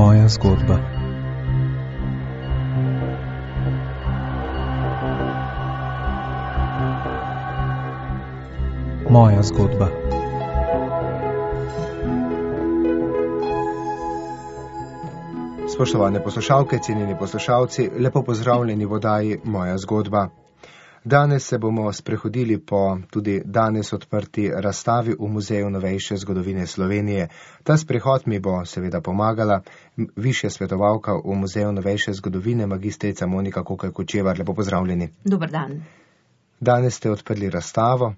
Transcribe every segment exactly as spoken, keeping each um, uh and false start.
Moja zgodba. Moja zgodba. Spoštovane poslušalke, cenjeni poslušalci, lepo pozdravljeni v oddaji Moja zgodba. Danes se bomo sprehodili po tudi danes odprti razstavi v Muzeju novejše zgodovine Slovenije. Ta sprehod mi bo seveda pomagala višja svetovalka v Muzeju novejše zgodovine, magistrica Monika Kokelj-Kočevar. Lepo pozdravljeni. Dober dan. Danes ste odprli razstavo.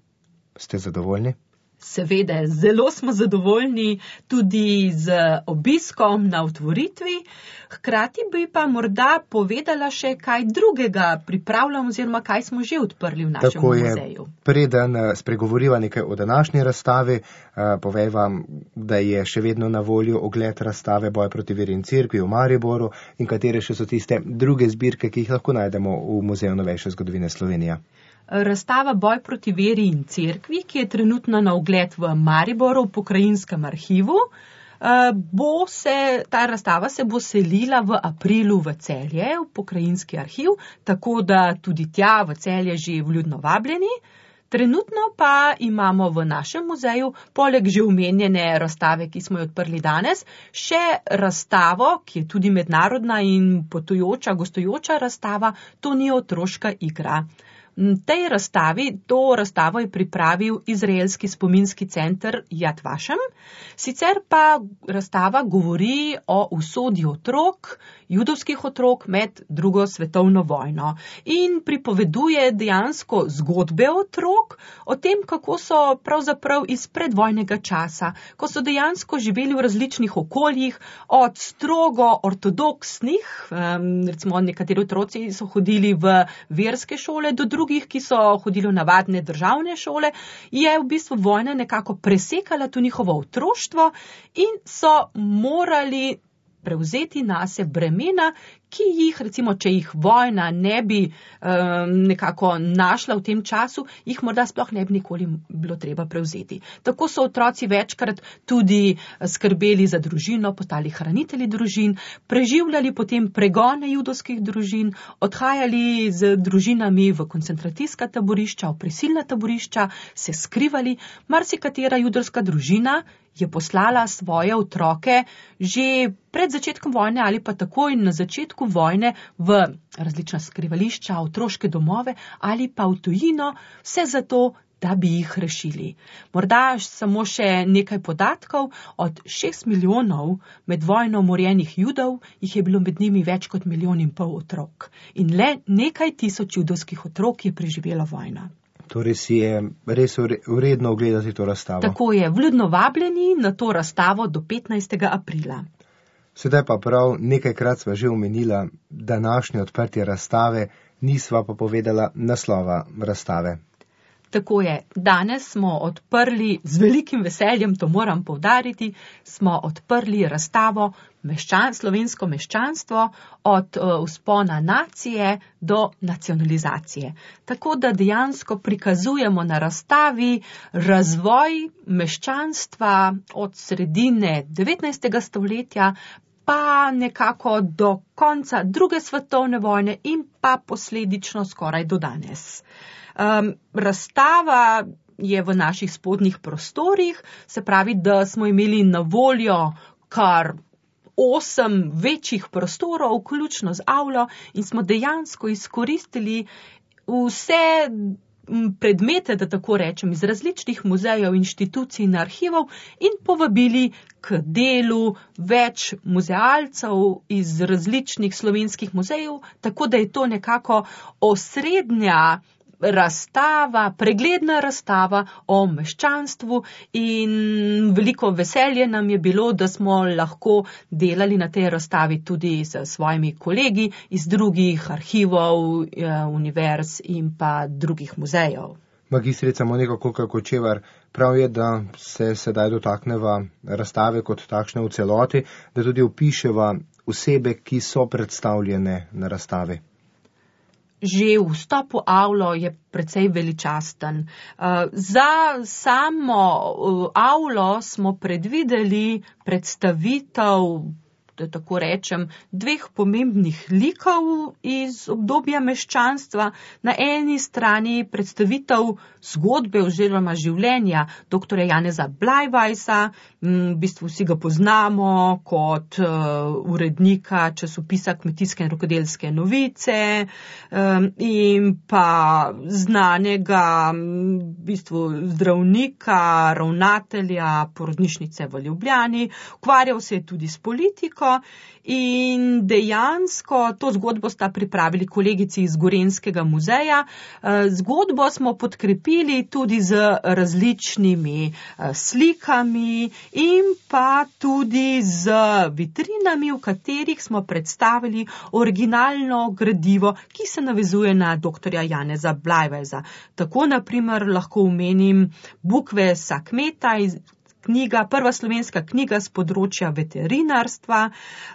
Ste zadovoljni? Seveda, zelo smo zadovoljni tudi z obiskom na otvoritvi. Hkrati bi pa morda povedala še kaj drugega pripravljamo oziroma kaj smo že odprli v našem Tako je, muzeju. Preden spregovoriva nekaj o današnji razstavi, povej vam, da je še vedno na voljo ogled razstave Boj proti veri in cerkvi v Mariboru in katere še so tiste druge zbirke, ki jih lahko najdemo v Muzeju novejše zgodovine Slovenije. Razstava Boj proti veri in cerkvi, ki je trenutno na ogled v Mariboru v pokrajinskem arhivu, bo se, ta razstava se bo selila v aprilu v Celje, v pokrajinski arhiv, tako da tudi tja v Celje že vljudno vabljeni. Trenutno pa imamo v našem muzeju, poleg že omenjene razstave, ki smo jo odprli danes, še razstavo, ki je tudi mednarodna in potujoča, gostujoča razstava, to ni otroška igra. Tej razstavi, to razstavo je pripravil izraelski spominski center Yad Vashem, sicer pa razstava govori o usodi otrok, judovskih otrok med drugo svetovno vojno in pripoveduje dejansko zgodbe otrok o tem, kako so pravzaprav iz predvojnega časa, ko so dejansko živeli v različnih okoljih, od strogo ortodoksnih, recimo nekateri otroci so hodili v verske šole, do drugih, ki so hodili v navadne državne šole, je v bistvu vojna nekako presekala to njihovo otroštvo in so morali prevzeti nase bremena, ki jih, recimo, če jih vojna ne bi um, nekako našla v tem času, jih morda sploh ne bi nikoli bilo treba prevzeti. Tako so otroci večkrat tudi skrbeli za družino, postali hranitelji družin, preživljali potem pregone judovskih družin, odhajali z družinami v koncentracijska taborišča, v prisilna taborišča, se skrivali. Marsikatera judovska družina je poslala svoje otroke že pred začetkom vojne ali pa takoj na začetku vojne v različna skrivališča, otroške domove ali pa v tujino, vse zato, da bi jih rešili. Morda samo še nekaj podatkov, od šest milijonov med vojno umorjenih Judov, jih je bilo med njimi več kot milijon in pol otrok. In le nekaj tisoč judovskih otrok je preživelo vojno. Torej si je res vredno ogledati to razstavo. Tako je, vljudno vabljeni na to razstavo do petnajstega aprila. Sedaj pa prav nekajkrat sva že omenila današnje odprtje razstave, nisva pa povedala naslova razstave. Tako je, danes smo odprli, z velikim veseljem, to moram poudariti, smo odprli razstavo meščan, slovensko meščanstvo od uh, vzpona nacije do nacionalizacije. Tako da dejansko prikazujemo na razstavi razvoj meščanstva od sredine devetnajstega stoletja pa nekako do konca druge svetovne vojne in pa posledično skoraj do danes. Um, razstava je v naših spodnjih prostorih, se pravi, da smo imeli na voljo kar osem večjih prostorov, vključno z avlo, in smo dejansko izkoristili vse predmete, da tako rečem, iz različnih muzejev, inštitucij in arhivov in povabili k delu več muzealcev iz različnih slovenskih muzejev, tako da je to nekako osrednja razstava, pregledna razstava o meščanstvu in veliko veselje nam je bilo, da smo lahko delali na tej razstavi tudi s svojimi kolegi iz drugih arhivov, univerz in pa drugih muzejev. Magistrica Monika Kokelj-Kočevar, prav je, da se sedaj dotakneva razstave kot takšne v celoti, da tudi opiševa osebe, ki so predstavljene na razstavi. Že vstop v avlo je precej veličasten. Za samo avlo smo predvideli predstavitev da tako rečem, dveh pomembnih likov iz obdobja meščanstva. Na eni strani predstavitev zgodbe oziroma življenja doktorja Janeza Blajvajsa, v bistvu vsi ga poznamo kot uh, urednika časopisa Kmetijske in rokodelske novice um, in pa znanega v bistvu zdravnika, ravnatelja porodnišnice v Ljubljani. Ukvarjal se je tudi s politiko in dejansko to zgodbo sta pripravili kolegici iz Gorenjskega muzeja. Zgodbo smo podkrepili tudi z različnimi slikami in pa tudi z vitrinami, v katerih smo predstavili originalno gradivo, ki se navezuje na doktorja Janeza Blajvajsa. Tako naprimer lahko omenim Bukvesa kmeta iz knjiga, prva slovenska knjiga z področja veterinarstva.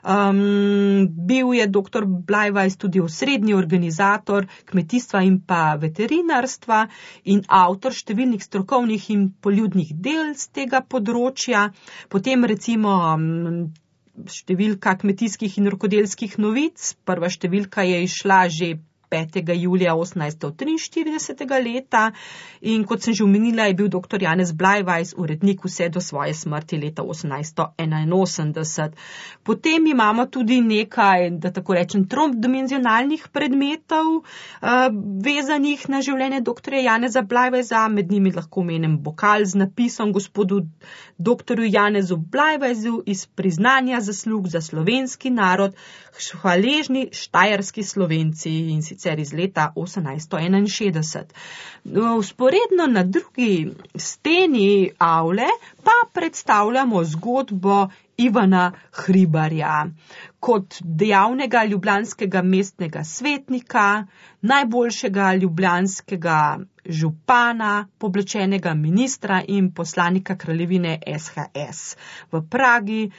Um, bil je doktor Blajvajs tudi osrednji organizator kmetijstva in pa veterinarstva in avtor številnih strokovnih in poljudnih del z tega področja. Potem recimo um, številka kmetijskih in rokodelskih novic. Prva številka je izšla že petega julija osemnajststo triinštiridesetega leta in kot sem že omenila, je bil doktor Janez Blajvajs urednik vse do svoje smrti leta osemnajststo enainosemdeset. Potem imamo tudi nekaj, da tako rečem, trodimenzionalnih predmetov uh, vezanih na življenje doktorja Janeza Blajvajsa. Med njimi lahko omenim bokal z napisom gospodu doktorju Janezu Blajvajsu iz priznanja zaslug za slovenski narod, hvaležni štajerski Slovenci, in sicer iz leta osemnajststo enainšestdeset. Vzporedno na drugi steni avle pa predstavljamo zgodbo Ivana Hribarja kot dejavnega ljubljanskega mestnega svetnika, najboljšega ljubljanskega župana, pooblaščenega ministra in poslanika kraljevine S H S v Pragi,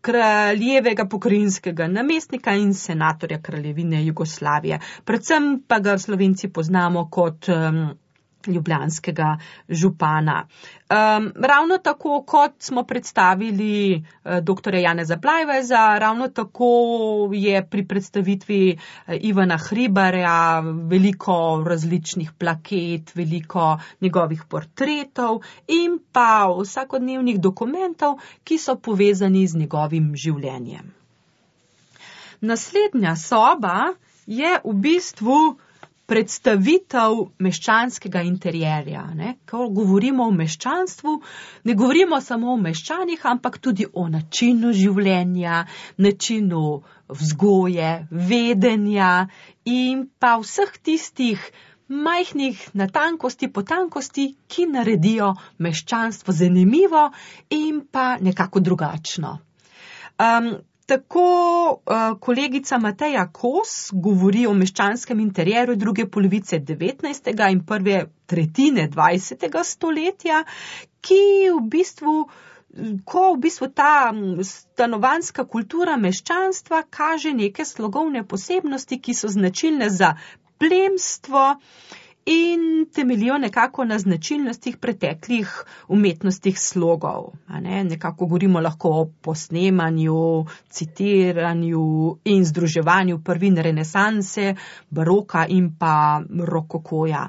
kraljevega pokrajinskega namestnika in senatorja kraljevine Jugoslavije. Predvsem pa ga Slovenci poznamo kot um, ljubljanskega župana. Um, ravno tako, kot smo predstavili uh, doktorja Janeza Blajvajsa, ravno tako je pri predstavitvi uh, Ivana Hribarja veliko različnih plaket, veliko njegovih portretov in pa vsakodnevnih dokumentov, ki so povezani z njegovim življenjem. Naslednja soba je v bistvu predstavitev meščanskega interjerja. Ne? Ko govorimo o meščanstvu, ne govorimo samo o meščanih, ampak tudi o načinu življenja, načinu vzgoje, vedenja in pa vseh tistih majhnih natankosti, potankosti, ki naredijo meščanstvo zanimivo in pa nekako drugačno. Um, Tako uh, kolegica Mateja Kos govori o meščanskem interjeru druge polovice devetnajstega in prve tretjine dvajsetega stoletja, ki v bistvu, ko v bistvu ta stanovanjska kultura meščanstva kaže neke slogovne posebnosti, ki so značilne za plemstvo in temeljijo nekako na značilnostih preteklih umetnostih slogov. A ne? Nekako govorimo lahko o posnemanju, citiranju in združevanju prvin renesanse, baroka in pa rokokoja.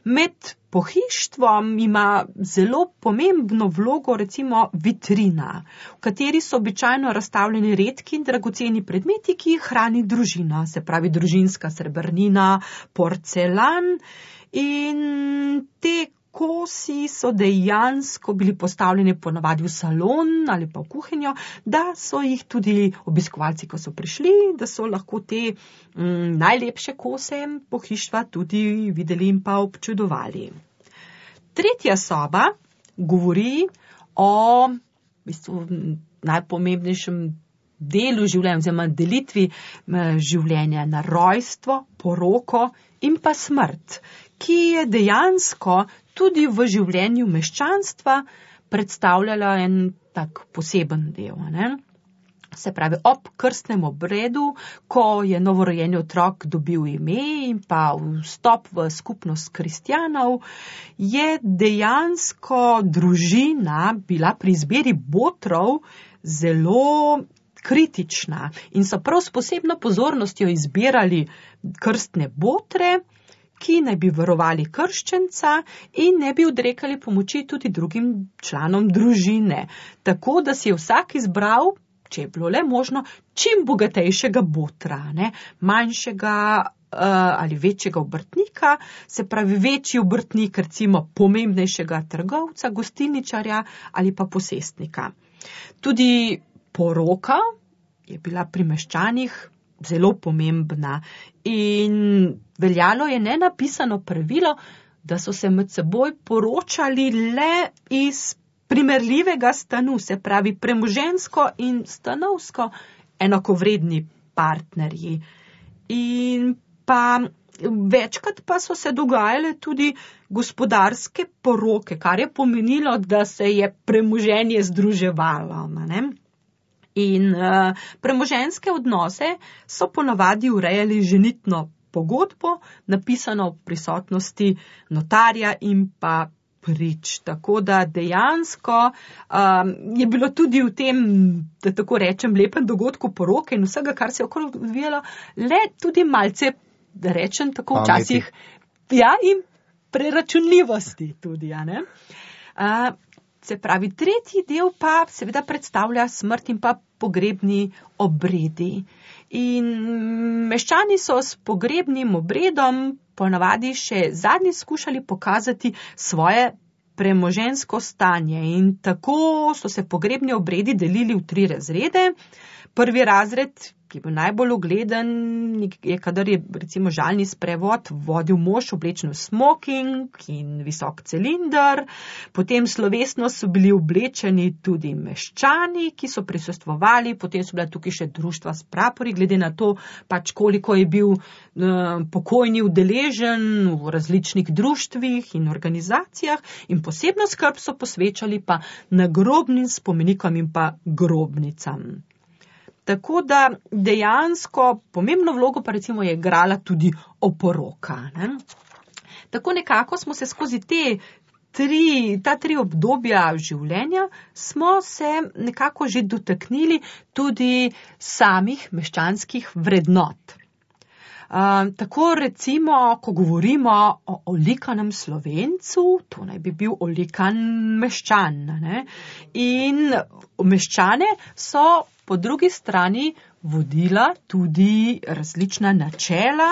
Med pohištvom ima zelo pomembno vlogo recimo vitrina, v kateri so običajno razstavljeni redki in dragoceni predmeti, ki jih hrani družina, se pravi družinska srebrnina, porcelan. In te kosi so dejansko bili postavljeni ponavadi v salon ali pa v kuhinjo, da so jih tudi obiskovalci, ko so prišli, da so lahko te mm, najlepše kose pohištva tudi videli in pa občudovali. Tretja soba govori o v bistvu, najpomembnejšem delu življenja, oziroma delitvi življenja na rojstvo, poroko in pa smrt, ki je dejansko tudi v življenju meščanstva predstavljala en tak poseben del. Ne? Se pravi, ob krstnem obredu, ko je novorojeni otrok dobil ime in pa vstop v skupnost kristjanov, je dejansko družina bila pri izbiri botrov zelo kritična in so prav s posebno pozornostjo izbirali krstne botre, ki naj bi varovali krščenca in ne bi odrekali pomoči tudi drugim članom družine. Tako da si je vsak izbral, če je bilo le možno, čim bogatejšega botra, ne? Manjšega uh, ali večjega obrtnika, se pravi večji obrtnik, recimo pomembnejšega trgovca, gostilničarja ali pa posestnika. Tudi poroka je bila pri meščanih zelo pomembna in veljalo je nenapisano pravilo, da so se med seboj poročali le iz primerljivega stanu, se pravi premoženjsko in stanovsko enakovredni partnerji. In pa večkrat pa so se dogajale tudi gospodarske poroke, kar je pomenilo, da se je premoženje združevalo, ne? In uh, premoženjske odnose so ponavadi urejali ženitno pogodbo, napisano v prisotnosti notarja in pa prič. Tako da dejansko um, je bilo tudi v tem, da tako rečem, lepem dogodku poroke in vsega, kar se je okoli odvijalo, le tudi malce, da rečem tako včasih, ja, in preračunljivosti tudi, ja, ne? Uh, Se pravi, tretji del pa seveda predstavlja smrt in pa pogrebni obredi. In meščani so s pogrebnim obredom ponavadi še zadnji skušali pokazati svoje premoženjsko stanje. In tako so se pogrebni obredi delili v tri razrede. Prvi razred, ki je bil najbolj ugleden, je, kadar je recimo žalni sprevod vodil mož oblečen v smoking in visok cilinder. Potem slovesno so bili oblečeni tudi meščani, ki so prisostvovali, potem so bila tukaj še društva s prapori, glede na to, pač koliko je bil eh, pokojni udeležen v različnih društvih in organizacijah, in posebno skrb so posvečali pa nagrobnim spomenikom in pa grobnicam. Tako da dejansko pomembno vlogo pa recimo je igrala tudi oporoka, ne? Tako nekako smo se skozi te tri, ta tri obdobja življenja smo se nekako že dotaknili tudi samih meščanskih vrednot. Uh, tako recimo, ko govorimo o olikanem Slovencu, to naj bi bil olikan meščan, ne? In meščane so po drugi strani vodila tudi različna načela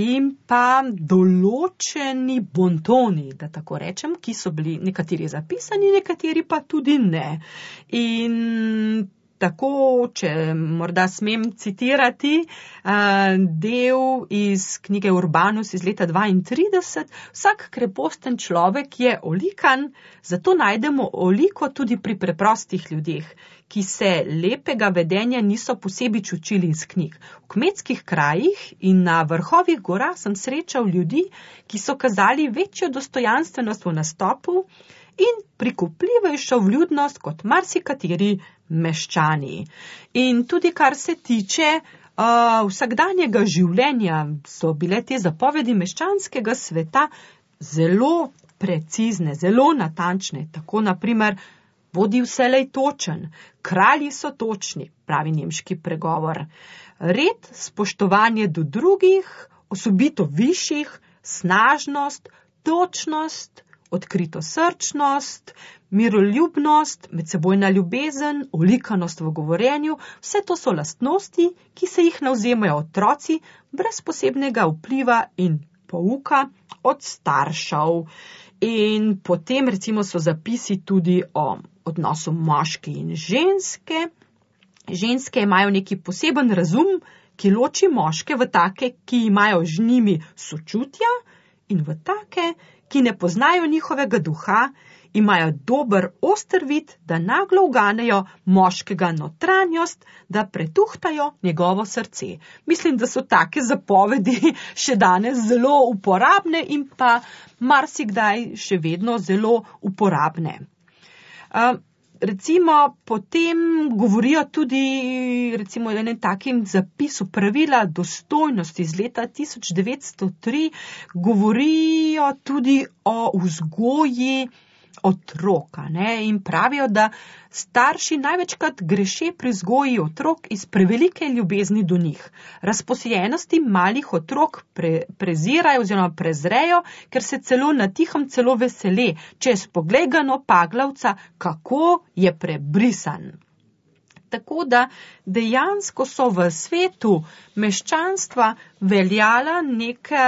in pa določeni bontoni, da tako rečem, ki so bili nekateri zapisani, nekateri pa tudi ne. In tako, če morda smem citirati del iz knjige Urbanus iz leta dvaintrideset, vsak kreposten človek je olikan, zato najdemo oliko tudi pri preprostih ljudeh, ki se lepega vedenja niso posebej učili iz knjig. V kmetskih krajih in na vrhovih gora sem srečal ljudi, ki so kazali večjo dostojanstvenost v nastopu in prikupljivejšo vljudnost kot marsikateri meščani. In tudi kar se tiče uh, vsakdanjega življenja, so bile te zapovedi meščanskega sveta zelo precizne, zelo natančne. Tako naprimer, bodi vselej točen, kralji so točni, pravi nemški pregovor. Red, spoštovanje do drugih, osobito višjih, snažnost, točnost, odkrito srčnost, miroljubnost, medsebojna ljubezen, olikanost v govorjenju, vse to so lastnosti, ki se jih navzemajo otroci brez posebnega vpliva in pouka od staršev. In potem recimo so zapisi tudi o odnosu moške in ženske. Ženske imajo neki poseben razum, ki loči moške v take, ki imajo z njimi sočutja, in v take, ki ne poznajo njihovega duha, imajo dober oster vid, da naglo uganejo moškega notranjost, da pretuhtajo njegovo srce. Mislim, da so take zapovedi še danes zelo uporabne in pa marsikdaj še vedno zelo uporabne. Uh, recimo potem govorijo tudi recimo o enem takim zapisu pravila dostojnosti iz leta tisoč devetsto tri, govorijo tudi o vzgoji otroka, ne, in pravijo, da starši največkrat greše pri vzgoji otrok iz prevelike ljubezni do njih. Razposejenosti malih otrok pre, prezirajo oziroma prezrejo, ker se celo na tihem celo vesele, čez pogledano paglavca, kako je prebrisan. Tako da dejansko so v svetu meščanstva veljala neka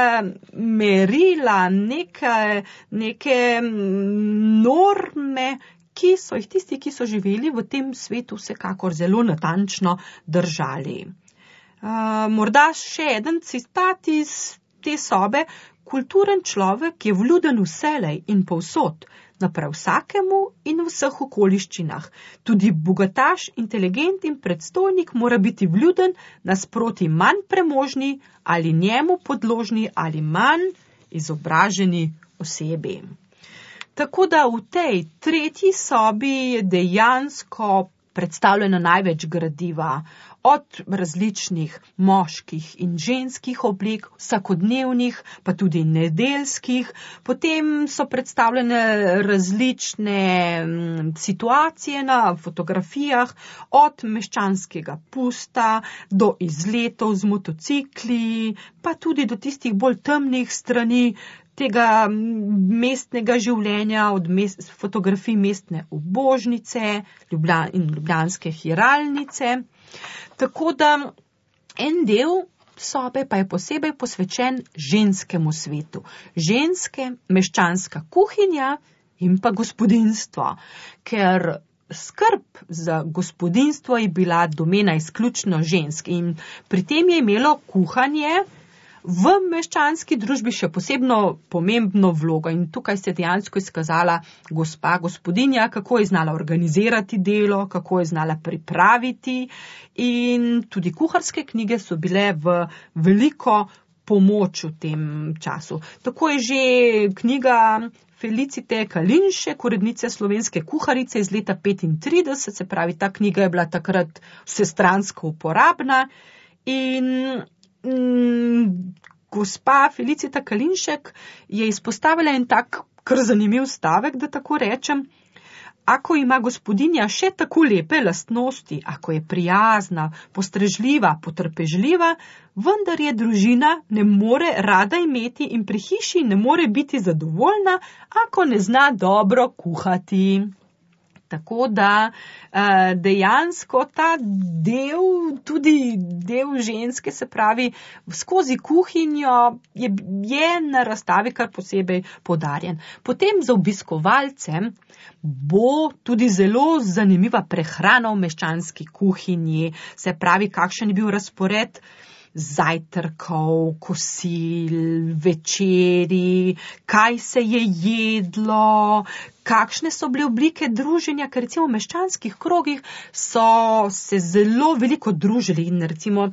merila, neke, neke norme, ki so jih tisti, ki so živeli v tem svetu, vsekakor zelo natančno držali. Uh, morda še eden citat iz te sobe. Kulturen človek je vljuden vselej in povsod, naprav vsakemu in v vseh okoliščinah. Tudi bogataš, inteligent in predstojnik mora biti vljuden nasproti manj premožni ali njemu podložni ali manj izobraženi osebi. Tako da v tej tretji sobi je dejansko predstavljeno največ gradiva, od različnih moških in ženskih oblik, vsakodnevnih, pa tudi nedeljskih. Potem so predstavljene različne situacije na fotografijah, od meščanskega pusta do izletov z motocikli, pa tudi do tistih bolj temnih strani tega mestnega življenja, od mest, fotografij mestne ubožnice Ljubljan, in ljubljanske hiralnice. Tako da en del sobe pa je posebej posvečen ženskemu svetu. Ženske, meščanska kuhinja in pa gospodinjstvo, ker skrb za gospodinjstvo je bila domena izključno žensk in pri tem je imelo kuhanje v meščanski družbi še posebno pomembno vlogo in tukaj se je dejansko izkazala gospa gospodinja, kako je znala organizirati delo, kako je znala pripraviti in tudi kuharske knjige so bile v veliko pomoč v tem času. Tako je že knjiga Felicite Kalinšek, urednice Slovenske kuharice iz leta petintrideset, se pravi, ta knjiga je bila takrat vsestransko uporabna in gospa Felicita Kalinšek je izpostavila en tak kar zanimiv stavek, da tako rečem. Ako ima gospodinja še tako lepe lastnosti, ako je prijazna, postrežljiva, potrpežljiva, vendar je družina ne more rada imeti in pri hiši ne more biti zadovoljna, ako ne zna dobro kuhati. Tako da dejansko ta del, tudi del ženske, se pravi, skozi kuhinjo je, je na razstavi kar posebej poudarjen. Potem za obiskovalce bo tudi zelo zanimiva prehrana v meščanski kuhinji, se pravi, kakšen je bil razpored zajtrkov, kosil, večeri, kaj se je jedlo, kakšne so bile oblike druženja, ker recimo v meščanskih krogih so se zelo veliko družili in recimo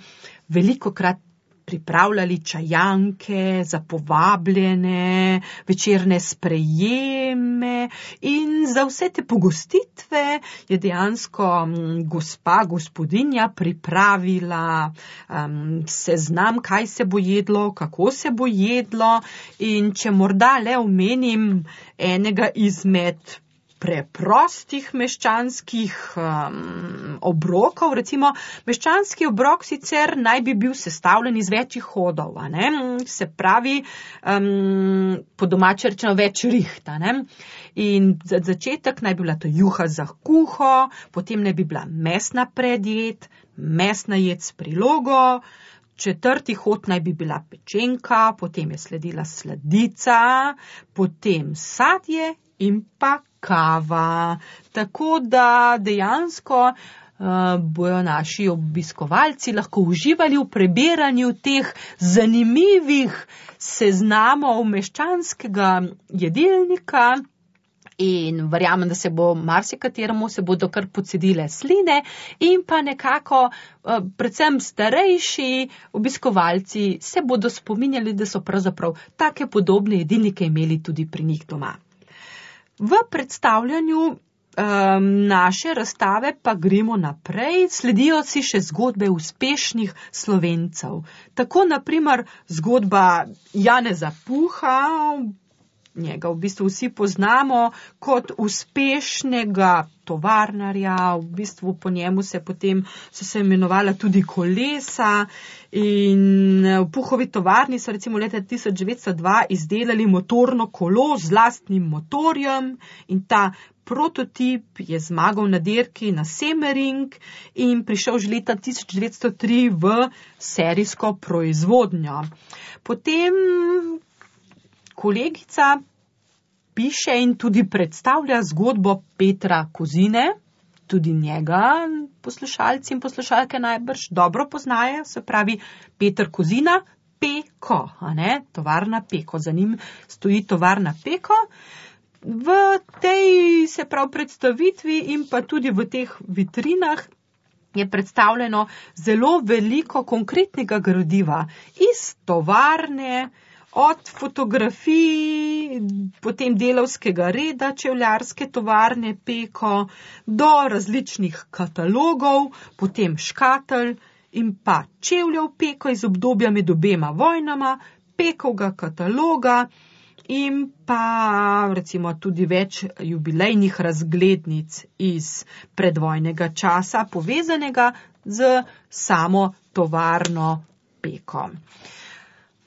velikokrat pripravljali čajanke za povabljene, večerne sprejeme in za vse te pogostitve je dejansko gospa, gospodinja pripravila um, seznam, kaj se bo jedlo, kako se bo jedlo in če morda le omenim enega izmed preprostih meščanskih um, obrokov. Recimo, meščanski obrok sicer naj bi bil sestavljen iz večjih hodov, a ne? Se pravi, um, po domače rečeno več rihta. Ne? In za začetek naj bi bila to juha za kuho, potem naj bi bila mesna predjed, mesna jed s prilogo, četrti hod naj bi bila pečenka, potem je sledila sladica, potem sadje in pa kava. Tako da dejansko uh, bojo naši obiskovalci lahko uživali v preberanju teh zanimivih seznamov meščanskega jedilnika in verjamem, da se bo marsikateremu se bodo kar pocedile sline in pa nekako uh, predvsem starejši obiskovalci se bodo spominjali, da so pravzaprav take podobne jedilnike imeli tudi pri njih doma. V predstavljanju um, naše razstave pa gremo naprej, sledijo si še zgodbe uspešnih Slovencev. Tako naprimer zgodba Janeza Puha, njega v bistvu vsi poznamo kot uspešnega tovarnarja, v bistvu po njemu se potem so se imenovala tudi kolesa in v Puhovi tovarni so recimo leta tisoč devetsto dva izdelali motorno kolo z lastnim motorjem in ta prototip je zmagal na dirki na Semmering in prišel že leta tisoč devetsto tri v serijsko proizvodnjo. Potem kolegica piše in tudi predstavlja zgodbo Petra Kozine, tudi njega poslušalci in poslušalke najbrž dobro poznajo, se pravi Peter Kozina, Peko, a ne, tovarna Peko, za njim stoji tovarna Peko. V tej, se pravi, predstavitvi in pa tudi v teh vitrinah je predstavljeno zelo veliko konkretnega gradiva iz tovarne, od fotografij, potem delavskega reda čevljarske tovarne Peko, do različnih katalogov, potem škatelj in pa čevljev Peko iz obdobja med obema vojnama, Pekovega kataloga in pa recimo tudi več jubilejnih razglednic iz predvojnega časa, povezanega z samo tovarno Peko.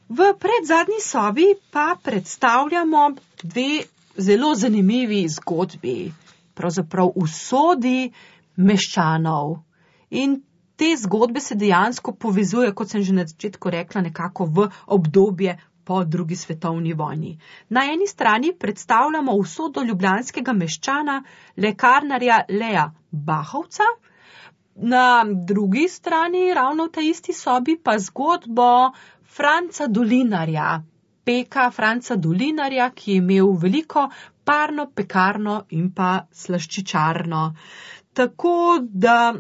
V predzadnji sobi pa predstavljamo dve zelo zanimivi zgodbi, pravzaprav usodi meščanov. In te zgodbe se dejansko povezujejo, kot sem že na začetku rekla, nekako v obdobje po drugi svetovni vojni. Na eni strani predstavljamo usodo ljubljanskega meščana, lekarnarja Leja Bahovca, na drugi strani, ravno v tej isti sobi, pa zgodbo Franca Dolinarja, peka Franca Dolinarja, ki je imel veliko parno, pekarno in pa slaščičarno. Tako da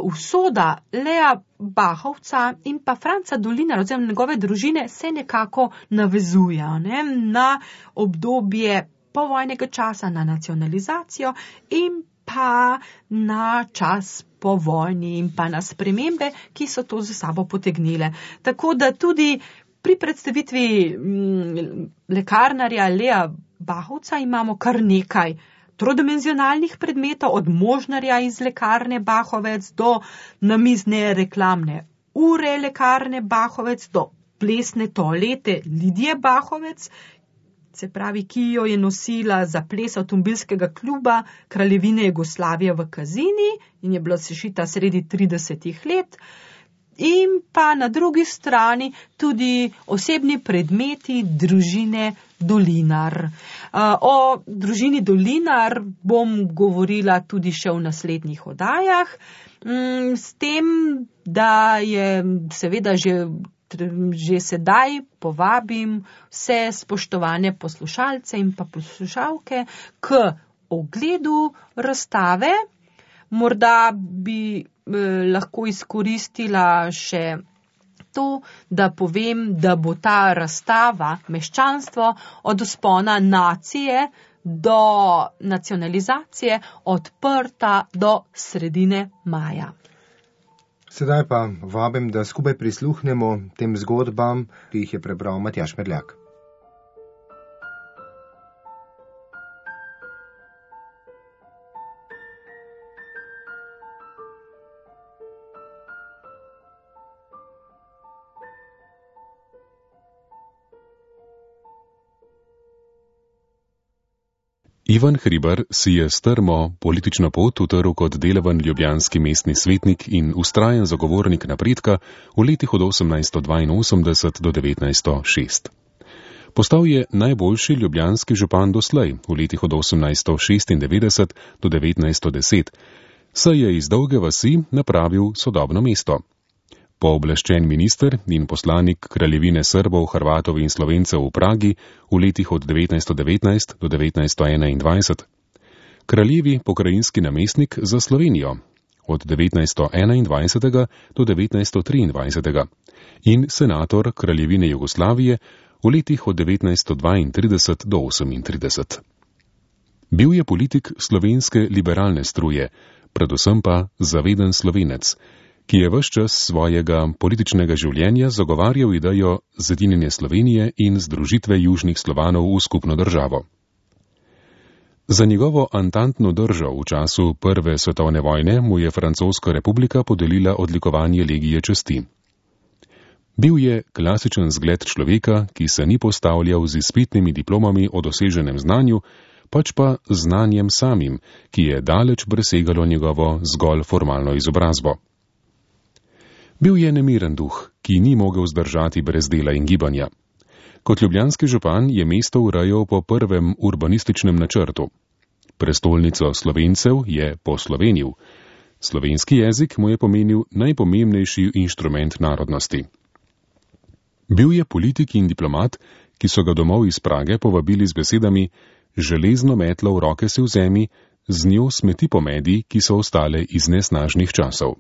usoda Leja Bahovca in pa Franca Dolinarja, oziroma njegove družine, se nekako navezuje, ne, na obdobje povojnega časa, na nacionalizacijo in pa na čas po vojni in pa na spremembe, ki so to za sabo potegnile. Tako da tudi pri predstavitvi m, lekarnarja Leja Bahovca imamo kar nekaj trodimenzionalnih predmetov, od možnarja iz lekarne Bahovec do namizne reklamne ure lekarne Bahovec, do plesne toalete Lidije Bahovec, se pravi, ki jo je nosila za ples avtomobilskega kluba Kraljevine Jugoslavije v Kazini in je bila sešita sredi tridesetih let. In pa na drugi strani tudi osebni predmeti družine Dolinar. O družini Dolinar bom govorila tudi še v naslednjih oddajah, s tem, da je seveda že Že sedaj povabim vse spoštovane poslušalce in pa poslušalke k ogledu razstave. Morda bi eh, lahko izkoristila še to, da povem, da bo ta razstava Meščanstvo od vzpona nacije do nacionalizacije odprta do sredine maja. Sedaj pa vabim, da skupaj prisluhnemo tem zgodbam, ki jih je prebral Matjaž Medljak. Ivan Hribar si je strmo politično pot utrl kot delaven ljubljanski mestni svetnik in vztrajen zagovornik napredka v letih od osemnajststo dvainosemdeset do devetnajststo šest. Postal je najboljši ljubljanski župan doslej v letih od osemnajststo šestindevetdeset do devetnajststo deset, saj je iz Dolge vasi napravil sodobno mesto. Pooblaščen minister in poslanik Kraljevine Srbov, Hrvatov in Slovencev v Pragi v letih od devetnajststo devetnajst do devetnajststo enaindvajset, kraljevi pokrajinski namestnik za Slovenijo od devetnajststo enaindvajset do devetnajststo triindvajset in senator Kraljevine Jugoslavije v letih od devetnajststo dvaintrideset do osemintrideset. Bil je politik slovenske liberalne struje, predvsem pa zaveden Slovenec, ki je ves čas svojega političnega življenja zagovarjal idejo zedinjenja Slovenije in združitve južnih Slovanov v skupno državo. Za njegovo antantno držo v času Prve svetovne vojne mu je Francoska republika podelila odlikovanje legije časti. Bil je klasičen zgled človeka, ki se ni postavljal z izpitnimi diplomami o doseženem znanju, pač pa znanjem samim, ki je daleč presegalo njegovo zgolj formalno izobrazbo. Bil je nemiren duh, ki ni mogel zdržati brez dela in gibanja. Kot ljubljanski župan je mesto urejal po prvem urbanističnem načrtu. Prestolnico Slovencev je poslovenil. Slovenski jezik mu je pomenil najpomembnejši inštrument narodnosti. Bil je politik in diplomat, ki so ga domov iz Prage povabili z besedami: železno metlo v roke si vzemi, z njo smeti pomedi, ki so ostale iz nesnažnih časov.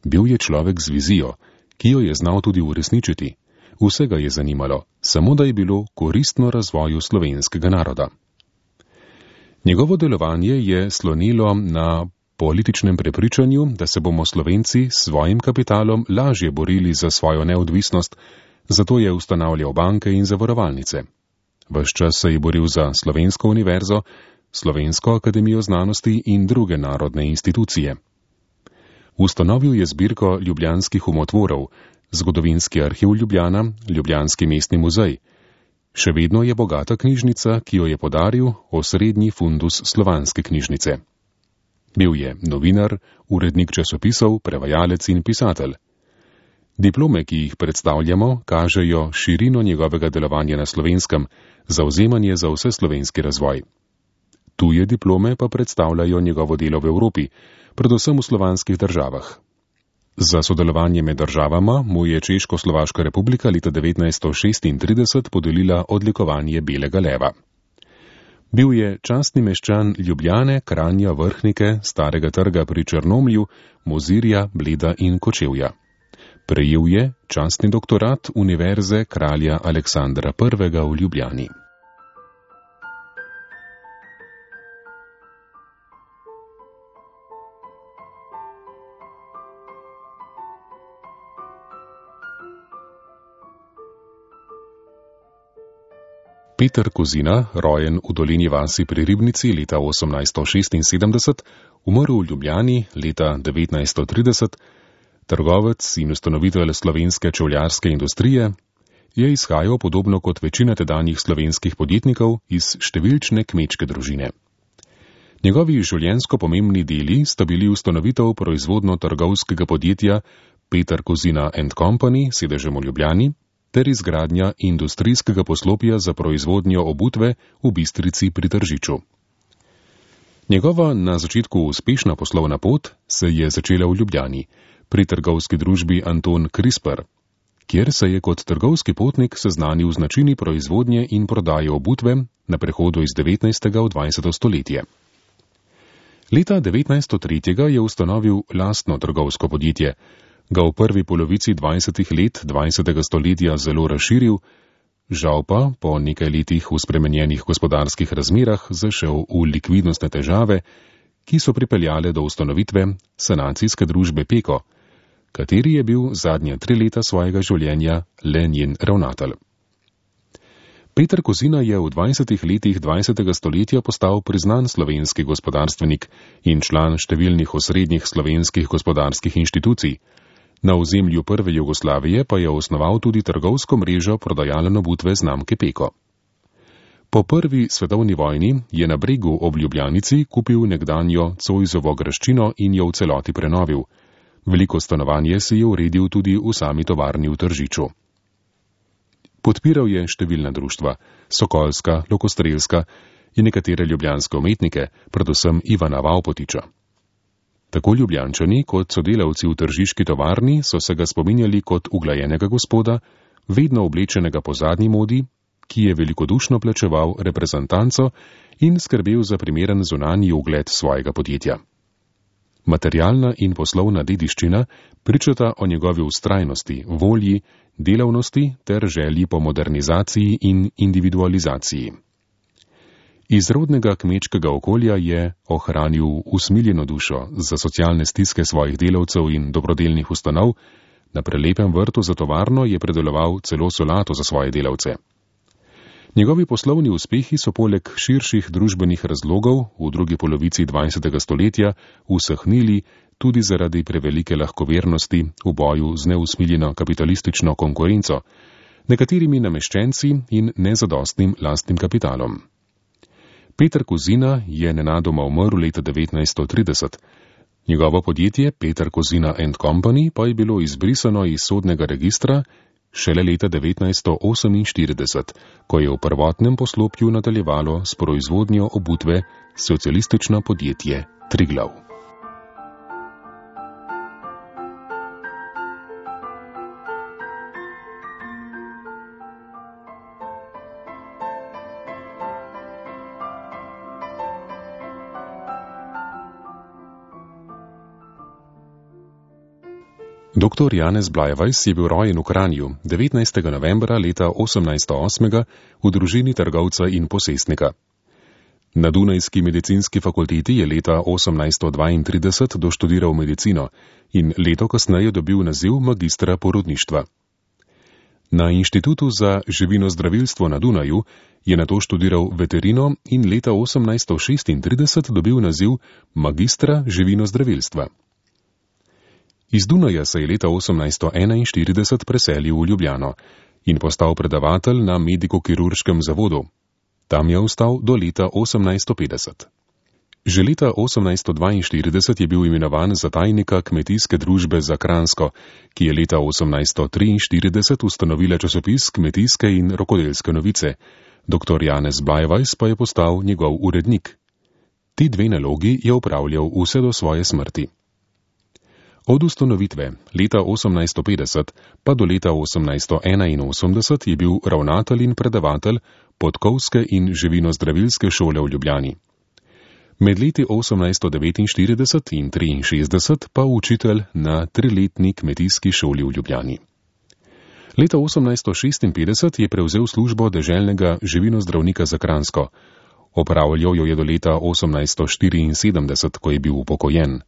Bil je človek z vizijo, ki jo je znal tudi uresničiti. Vsega je zanimalo, samo da je bilo koristno razvoju slovenskega naroda. Njegovo delovanje je slonilo na političnem prepričanju, da se bomo Slovenci s svojim kapitalom lažje borili za svojo neodvisnost, zato je ustanavljal banke in zavarovalnice. Ves čas se je boril za Slovensko univerzo, Slovensko akademijo znanosti in druge narodne institucije. Ustanovil je zbirko ljubljanskih umotvorov, Zgodovinski arhiv Ljubljana, Ljubljanski mestni muzej. Še vedno je bogata knjižnica, ki jo je podaril osrednji fundus slovanske knjižnice. Bil je novinar, urednik časopisov, prevajalec in pisatelj. Diplome, ki jih predstavljamo, kažejo širino njegovega delovanja na Slovenskem, zavzemanje za vseslovenski razvoj. Tuje diplome pa predstavljajo njegovo delo v Evropi, predvsem v slovanskih državah. Za sodelovanje med državama mu je Češko-Slovaška republika leta devetnajststo šestintrideset podelila odlikovanje Belega leva. Bil je častni meščan Ljubljane, Kranja, Vrhnike, Starega trga pri Črnomlju, Mozirja, Bleda in Kočevja. Prejel je častni doktorat Univerze kralja Aleksandra prvega v Ljubljani. Peter Kozina, rojen v dolini vasi pri Ribnici leta osemnajststo šestinsedemdeset, umrl v Ljubljani leta devetnajststo trideset, trgovec in ustanovitelj slovenske čevljarske industrije, je izhajal podobno kot večina tedanjih slovenskih podjetnikov iz številčne kmečke družine. Njegovi življenjsko pomembni deli sta bili ustanovitev proizvodno-trgovskega podjetja Peter Kozina and Company, sedežem v Ljubljani, ter izgradnja industrijskega poslopja za proizvodnjo obutve v Bistrici pri Tržiču. Njegova na začetku uspešna poslovna pot se je začela v Ljubljani, pri trgovski družbi Anton Krisper, kjer se je kot trgovski potnik seznanil z načini proizvodnje in prodaje obutve na prehodu iz devetnajstega v dvajseto stoletje. Leta devetnajststo tri je ustanovil lastno trgovsko podjetje, ga v prvi polovici dvajsetih let dvajsetega stoletja zelo razširil, žal pa po nekaj letih v spremenjenih gospodarskih razmerah zašel v likvidnostne težave, ki so pripeljale do ustanovitve sanacijske družbe Peko, kateri je bil zadnja tri leta svojega življenja le njen ravnatelj. Peter Kozina je v dvajsetih letih dvajsetega stoletja postal priznan slovenski gospodarstvenik in član številnih osrednjih slovenskih gospodarskih inštitucij. Na ozemlju prve Jugoslavije pa je osnoval tudi trgovsko mrežo prodajalne obutve znamke Peko. Po prvi svetovni vojni je na Bregu ob Ljubljanici kupil nekdanjo Cojzovo graščino in jo v celoti prenovil. Veliko stanovanje si je uredil tudi v sami tovarni v Tržiču. Podpiral je številna društva, Sokolska, Lokostrelska in nekatere ljubljanske umetnike, predvsem Ivana Vavpotiča. Tako Ljubljančani kot sodelavci v tržiški tovarni so se ga spominjali kot uglajenega gospoda, vedno oblečenega po zadnji modi, ki je velikodušno plačeval reprezentanco in skrbel za primeren zunanji ugled svojega podjetja. Materialna in poslovna dediščina pričata o njegovi vztrajnosti, volji, delavnosti ter želji po modernizaciji in individualizaciji. Iz rodnega kmečkega okolja je ohranil usmiljeno dušo za socialne stiske svojih delavcev in dobrodelnih ustanov, na prelepem vrtu za tovarno je predeloval celo solato za svoje delavce. Njegovi poslovni uspehi so poleg širših družbenih razlogov v drugi polovici dvajsetega stoletja usahnili tudi zaradi prevelike lahkovernosti v boju z neusmiljeno kapitalistično konkurenco, nekaterimi nameščenci in nezadostnim lastnim kapitalom. Peter Kozina je nenadoma umrl leta devetnajststo trideset. Njegovo podjetje Peter Kozina and Company pa je bilo izbrisano iz sodnega registra šele leta devetnajststo oseminštirideset, ko je v prvotnem poslopju nadaljevalo s proizvodnjo obutve socialistično podjetje Triglav. Doktor Janez Blajvajs je bil rojen v Kranju devetnajstega novembra leta osemnajststo osem v družini trgovca in posestnika. Na Dunajski medicinski fakulteti je leta osemnajststo dvaintrideset doštudiral medicino in leto kasneje dobil naziv magistra porodništva. Na Inštitutu za živinozdravilstvo na Dunaju je nato študiral veterino in leta osemnajststo šestintrideset dobil naziv magistra živinozdravilstva. Iz Dunaja se je leta osemnajststo enainštirideset preselil v Ljubljano in postal predavatelj na mediko-kirurškem zavodu. Tam je ostal do leta osemnajststo petdeset. Že leta osemnajststo dvainštirideset je bil imenovan za tajnika Kmetijske družbe za Kranjsko, ki je leta osemnajststo triinštirideset ustanovila časopis Kmetijske in rokodelske novice. Doktor Janez Blajvajs pa je postal njegov urednik. Ti dve nalogi je opravljal vse do svoje smrti. Od ustanovitve leta osemnajststo petdeset pa do leta osemnajststo enainosemdeset je bil ravnatelj in predavatelj Podkovske in živinozdravilske šole v Ljubljani. Med leti osemnajststo devetinštirideset in triinšestdeset pa učitelj na triletni kmetijski šoli v Ljubljani. Leta osemnajststo šestinpetdeset je prevzel službo deželnega živinozdravnika za Kranjsko. Opravljal jo je do leta osemnajststo štiriinsedemdeset, ko je bil upokojen.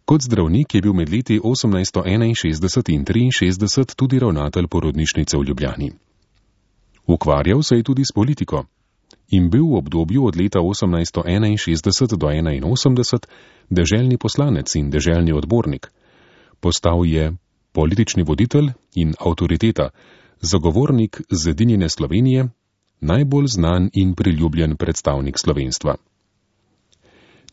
Kot zdravnik je bil med leti osemnajststo enainšestdeset in triinšestdeset tudi ravnatelj porodnišnice v Ljubljani. Ukvarjal se je tudi s politiko in bil v obdobju od leta osemnajststo enainšestdeset do enainosemdeset deželni poslanec in deželni odbornik. Postal je politični voditelj in avtoriteta, zagovornik zedinjene Slovenije, najbolj znan in priljubljen predstavnik slovenstva.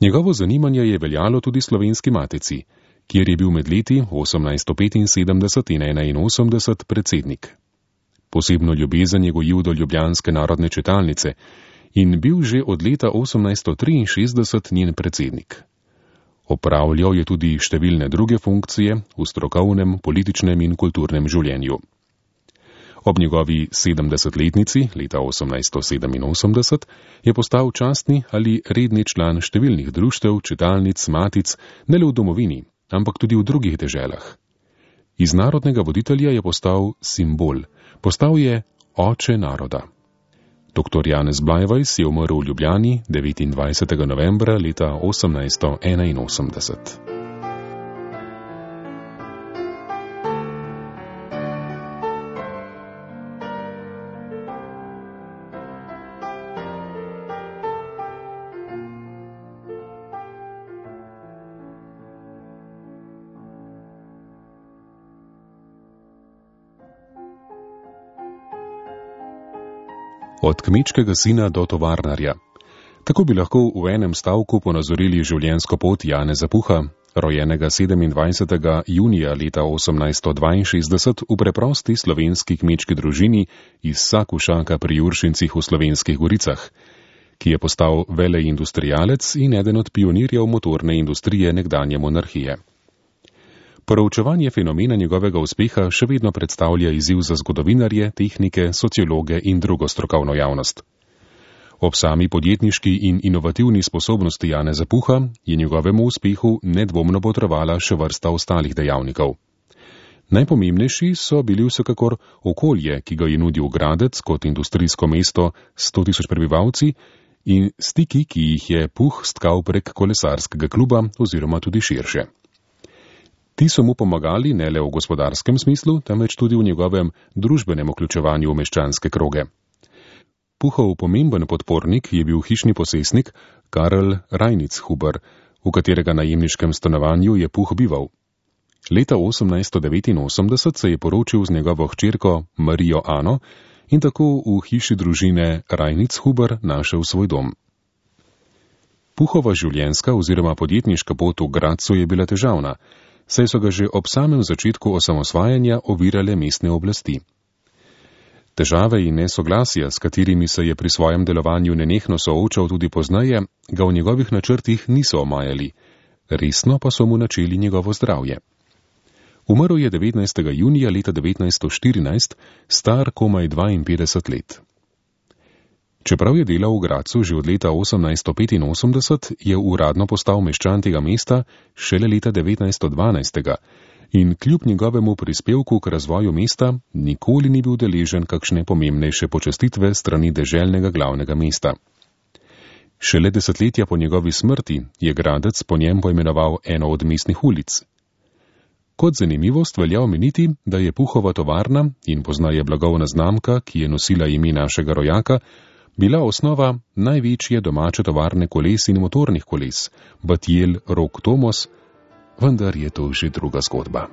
Njegovo zanimanje je veljalo tudi Slovenski matici, kjer je bil med leti osemnajststo petinsedemdeset in enainosemdeset predsednik. Posebno ljubezen je gojil do ljubljanske narodne čitalnice in bil že od leta osemnajststo triinšestdeset njen predsednik. Opravljal je tudi številne druge funkcije v strokovnem, političnem in kulturnem življenju. Ob njegovi sedemdesetletnici leta osemnajststo sedeminosemdeset je postal častni ali redni član številnih društev, čitalnic, matic, ne le v domovini, ampak tudi v drugih deželah. Iz narodnega voditelja je postal simbol, postal je oče naroda. Doktor Janez Blajvajs je umrl v Ljubljani devetindvajsetega novembra leta osemnajststo enainosemdeset. Od kmečkega sina do tovarnarja. Tako bi lahko v enem stavku ponazorili življenjsko pot Janeza Puha, rojenega sedemindvajsetega junija leta osemnajststo dvainšestdeset v preprosti slovenski kmečki družini iz Sakušaka pri Juršincih v Slovenskih goricah, ki je postal veleindustrialec in eden od pionirjev motorne industrije nekdanje monarhije. Proučevanje fenomena njegovega uspeha še vedno predstavlja izziv za zgodovinarje, tehnike, sociologe in drugo strokovno javnost. Ob sami podjetniški in inovativni sposobnosti Janeza Puha je njegovemu uspehu nedvomno botrovala še vrsta ostalih dejavnikov. Najpomembnejši so bili vsekakor okolje, ki ga je nudil Gradec kot industrijsko mesto s sto tisoč prebivalci, in stiki, ki jih je Puh stkal prek kolesarskega kluba oziroma tudi širše. Ti so mu pomagali ne le v gospodarskem smislu, temveč tudi v njegovem družbenem vključevanju v meščanske kroge. Puhov pomemben podpornik je bil hišni posestnik Karl Reinitzhuber, v katerega najemniškem stanovanju je Puh bival. Leta osemnajststo devetinosemdeset se je poročil z njegovo hčerko Marijo Ano in tako v hiši družine Reinitzhuber našel svoj dom. Puhova življenjska oziroma podjetniška pot v Grazu je bila težavna, saj so ga že ob samem začetku osamosvajanja ovirale mestne oblasti. Težave in nesoglasja, s katerimi se je pri svojem delovanju nenehno soočal tudi pozneje, ga v njegovih načrtih niso omajali, resno pa so mu načeli njegovo zdravje. Umrl je devetnajstega junija leta devetnajststo štirinajst, star komaj dvainpetdeset let. Čeprav je delal v Grazu že od leta osemnajststo petinosemdeset, je uradno postal meščan tega mesta šele leta devetnajststo dvanajst in kljub njegovemu prispevku k razvoju mesta nikoli ni bil deležen kakšne pomembnejše počastitve strani deželnega glavnega mesta. Šele desetletja po njegovi smrti je Gradec po njem poimenoval eno od mestnih ulic. Kot zanimivost velja omeniti, da je Puhova tovarna in poznaje blagovna znamka, ki je nosila ime našega rojaka, bila osnova največje domače tovarne koles in motornih koles, Batjel Rok Tomos, vendar je to že druga zgodba.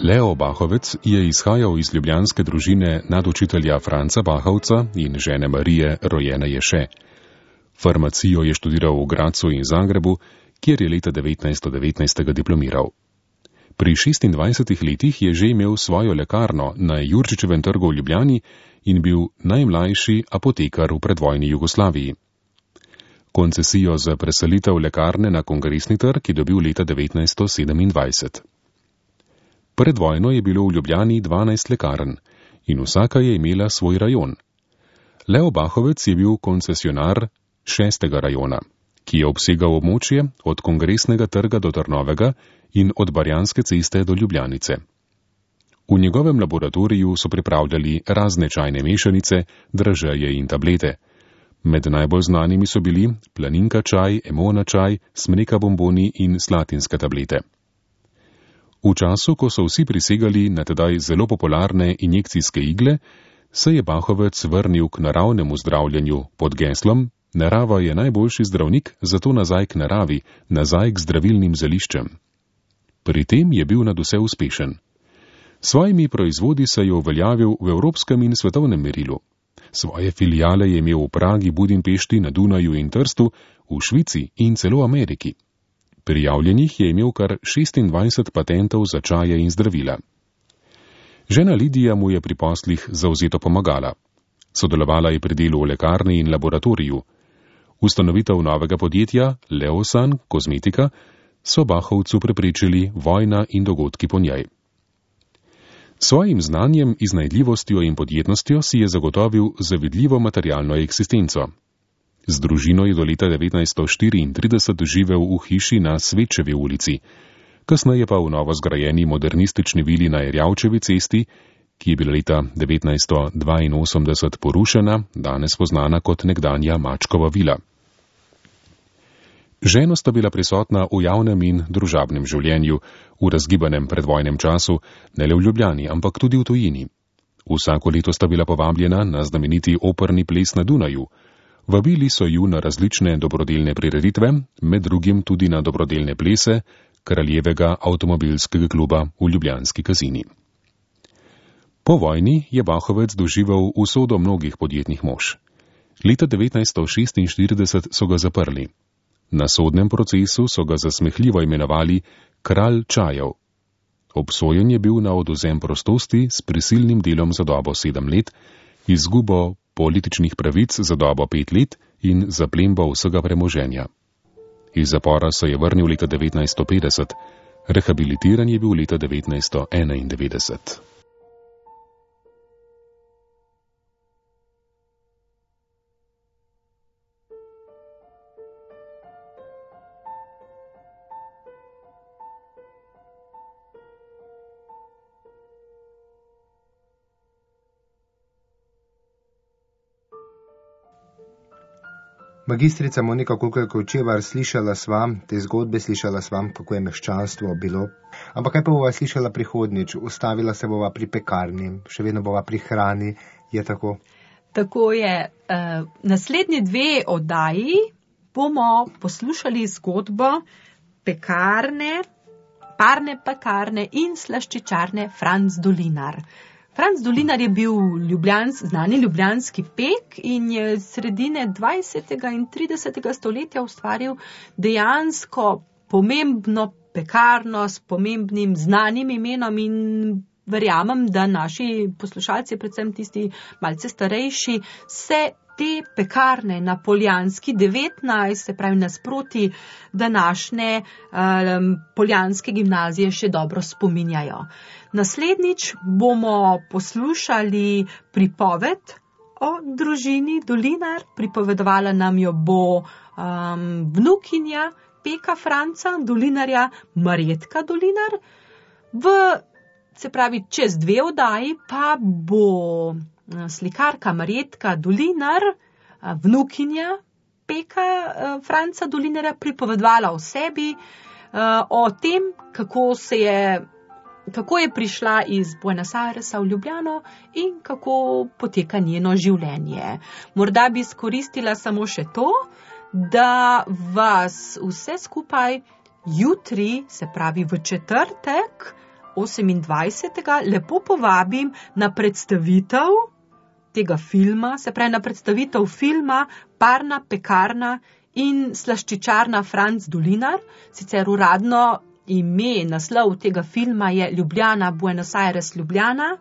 Leo Bahovec je izhajal iz ljubljanske družine nadučitelja Franca Bahovca in žene Marije, rojene Ješe. Farmacijo je študiral v Grazu in Zagrebu, kjer je leta devetnajststo devetnajst diplomiral. Pri šestindvajsetih letih je že imel svojo lekarno na Jurčičevem trgu v Ljubljani in bil najmlajši apotekar v predvojni Jugoslaviji. Koncesijo za preselitev lekarne na Kongresni trg je dobil leta devetnajststo sedemindvajset. Pred vojno je bilo v Ljubljani dvanajst lekarn in vsaka je imela svoj rajon. Leo Bahovec je bil koncesionar šestega rajona, ki je obsegal območje od Kongresnega trga do Trnovega in od Barjanske ceste do Ljubljanice. V njegovem laboratoriju so pripravljali razne čajne mešanice, dražeje in tablete. Med najbolj znanimi so bili planinka čaj, emona čaj, smreka bomboni in slatinske tablete. V času, ko so vsi prisegali na tedaj zelo popularne injekcijske igle, se je Bahovec vrnil k naravnemu zdravljenju pod geslom Narava je najboljši zdravnik, zato nazaj k naravi, nazaj k zdravilnim zeliščem. Pri tem je bil nadvse uspešen. Svojimi proizvodi se je uveljavil v evropskem in svetovnem merilu. Svoje filijale je imel v Pragi, Budimpešti, na Dunaju in Trstu, v Švici in celo Ameriki. Prijavljenih je imel kar šestindvajset patentov za čaje in zdravila. Žena Lidija mu je pri poslih zavzeto pomagala. Sodelovala je pri delu v lekarni in laboratoriju. Ustanovitev novega podjetja, Leosan Kozmetika, so Bahovcu preprečili vojna in dogodki po njej. Svojim znanjem, iznajdljivostjo in podjetnostjo si je zagotovil zavidljivo materialno eksistenco. Z družino je do leta devetnajststo štiriintrideset živel v hiši na Svečevi ulici, kasneje pa v novo zgrajeni modernistični vili na Erjavčevi cesti, ki je bila leta devetnajststo dvainosemdeset porušena, danes poznana kot nekdanja Mačkova vila. Ženo sta bila prisotna v javnem in družabnem življenju, v razgibanem predvojnem času, ne le v Ljubljani, ampak tudi v tujini. Vsako leto sta bila povabljena na znameniti operni ples na Dunaju. Vabili so ju na različne dobrodelne prireditve, med drugim tudi na dobrodelne plese Kraljevega avtomobilskega kluba v Ljubljanski Kazini. Po vojni je Bahovec doživel usodo mnogih podjetnih mož. Leta devetnajststo šestinštirideset so ga zaprli. Na sodnem procesu so ga zasmehljivo imenovali kralj čajev. Obsojen je bil na odvzem prostosti s prisilnim delom za dobo sedem let, izgubo političnih pravic za dobo pet let in zaplembo vsega premoženja. Iz zapora se je vrnil leta devetnajststo petdeset, rehabilitiran je bil leta devetnajststo enaindevetdeset. Magistrica Monika Kulkar-Kočevar, slišala sva te zgodbe, slišala sva, kako je meščanstvo bilo. Ampak kaj pa bova slišala prihodnjič? Ustavila se bova pri pekarni, še vedno bova pri hrani, je tako? Tako je. Uh, naslednji dve oddaji bomo poslušali zgodbo pekarne, parne pekarne in slaščičarne Franc Dolinar. Franc Dolinar je bil ljubljans, znani ljubljanski pek in je sredine dvajsetega in tridesetega stoletja ustvaril dejansko pomembno pekarno s pomembnim znanim imenom in verjamem, da naši poslušalci, predvsem tisti malce starejši, se te pekarne na Poljanski devetnajst, se pravi nasproti današnje um, poljanske gimnazije, še dobro spominjajo. Naslednjič bomo poslušali pripoved o družini Dolinar, pripovedovala nam jo bo um, vnukinja peka Franca Dolinarja, Marjetka Dolinar. V, se pravi, čez dve oddaji pa bo slikarka Marjetka Dolinar, vnukinja peka Franca Dolinarja, pripovedovala o sebi, o tem, kako se je kako je prišla iz Buenos Airesa v Ljubljano in kako poteka njeno življenje. Morda bi izkoristila samo še to, da vas vse skupaj jutri, se pravi v četrtek, osemindvajsetega lepo povabim na predstavitev tega filma, se pravi na predstavitev filma Parna pekarna in slaščičarna Franc Dolinar, sicer uradno ime, naslov tega filma je Ljubljana, Buenos Aires, Ljubljana,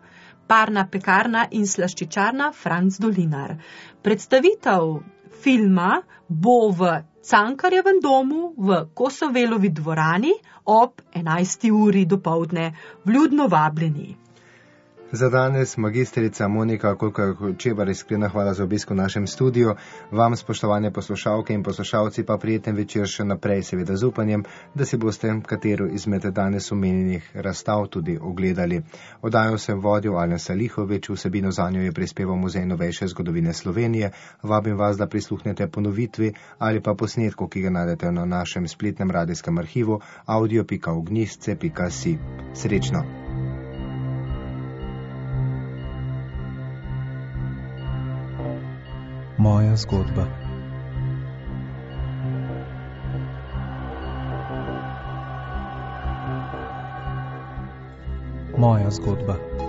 parna pekarna in slaščičarna Franc Dolinar. Predstavitev filma bo v Cankarjevem domu v Kosovelovi dvorani ob enajsti uri dopoldne. Vljudno vabljeni. Za danes magistrica Monika Kulkar-Kočevar, iskrena hvala za obisk v našem studiu. Vam, spoštovane poslušalke in poslušalci, pa prijeten večer še naprej, seveda z upanjem, da si boste katero izmed danes omenjenih razstav tudi ogledali. Oddajo sem vodil Alen Salihovič, vsebino zanjo je prispeval Muzej novejše zgodovine Slovenije. Vabim vas, da prisluhnete ponovitvi ali pa posnetku, ki ga najdete na našem spletnem radijskem arhivu audio pika ognjišče pika si. Srečno! Moja zgodba. Moja zgodba.